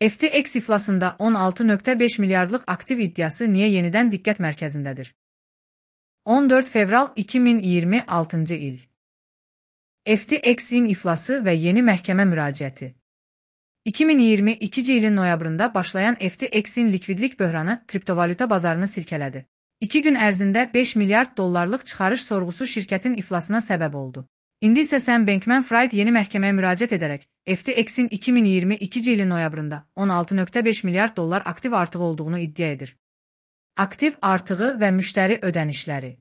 FTX iflasında 16,5 milyardlıq aktiv iddiası niyə yenidən diqqət mərkəzindədir? 14 fevral 2026 il. FTX-in iflası və yeni məhkəmə müraciəti. 2022 ilin noyabrında başlayan FTX-in likvidlik böhranı kriptovalyuta bazarını silkələdi. 2 gün ərzində 5 milyard dollarlıq çıxarış sorğusu şirkətin iflasına səbəb oldu. İndi isə Sam Bankman-Fried yeni məhkəməyə müraciət edərək FTX-in 2022 ilin noyabrında 16,5 milyard dollar aktiv artığı olduğunu iddia edir. Aktiv artığı və müştəri ödənişləri.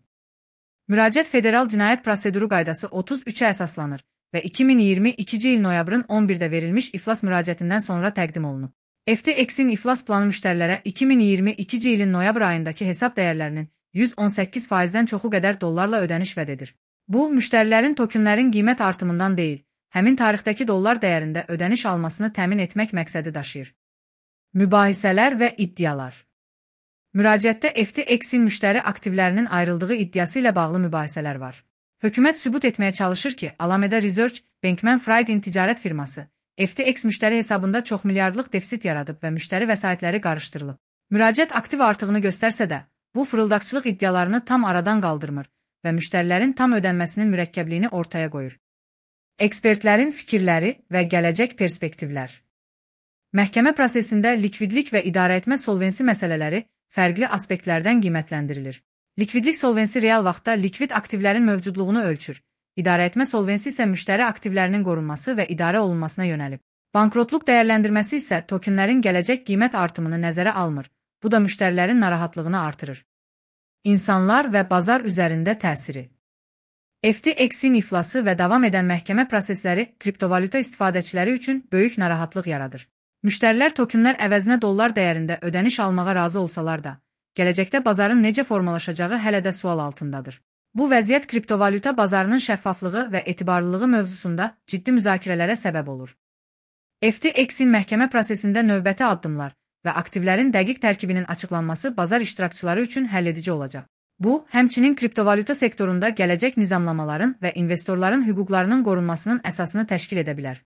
Müraciət Federal Cinayət Proseduru Qaydası 33-ə əsaslanır və 2022 il noyabrın 11-də verilmiş iflas müraciətindən sonra təqdim olunub. FTX-in iflas planı müştərilərə 2022 ilin noyabr ayındakı hesab dəyərlərinin 118%-dən çoxu qədər dollarla ödəniş vəd edir. Bu, müştərilərin tokenlərin qiymət artımından deyil, həmin tarixdəki dollar dəyərində ödəniş almasını təmin etmək məqsədi daşıyır. Mübahisələr və iddialar. Müraciətdə FTX-in müştəri aktivlərinin ayrıldığı iddiası ilə bağlı mübahisələr var. Hökumət sübut etməyə çalışır ki, Alameda Research, Bankman-Fried'in ticarət firması, FTX müştəri hesabında çox milyardlıq defisit yaradıb və müştəri vəsaitləri qarışdırılıb. Müraciət aktiv artığını göstərsə də, bu fırıldaqçılıq iddialarını tam aradan qaldırmır və müştərilərin tam ödənməsinin mürəkkəbliyini ortaya qoyur. Ekspertlərin fikirləri və gələcək perspektivlər. Məhkəmə prosesində likvidlik və idarəetmə solvensi məsələləri fərqli aspektlərdən qiymətləndirilir. Likvidlik solvensi real vaxtda likvid aktivlərin mövcudluğunu ölçür. İdarəetmə solvensi isə müştəri aktivlərinin qorunması və idarə olunmasına yönəlib. Bankrotluq dəyərləndirməsi isə tokenlərin gələcək qiymət artımını nəzərə almır. Bu da müştərilərin narahatlığını artırır. İnsanlar və bazar üzərində təsiri. FTX-in iflası və davam edən məhkəmə prosesləri kriptovalyuta istifadəçiləri üçün böyük narahatlıq yaradır. Müştərilər tokenlər əvəzinə dollar dəyərində ödəniş almağa razı olsalar da, gələcəkdə bazarın necə formalaşacağı hələ də sual altındadır. Bu vəziyyət kriptovalyuta bazarının şəffaflığı və etibarlılığı mövzusunda ciddi müzakirələrə səbəb olur. FTX-in məhkəmə prosesində növbəti addımlar və aktivlərin dəqiq tərkibinin açıqlanması bazar iştirakçıları üçün həlledici olacaq. Bu, həmçinin kriptovalyuta sektorunda gələcək nizamlamaların və investorların hüquqlarının qorunmasının əsasını təşkil edə bilər.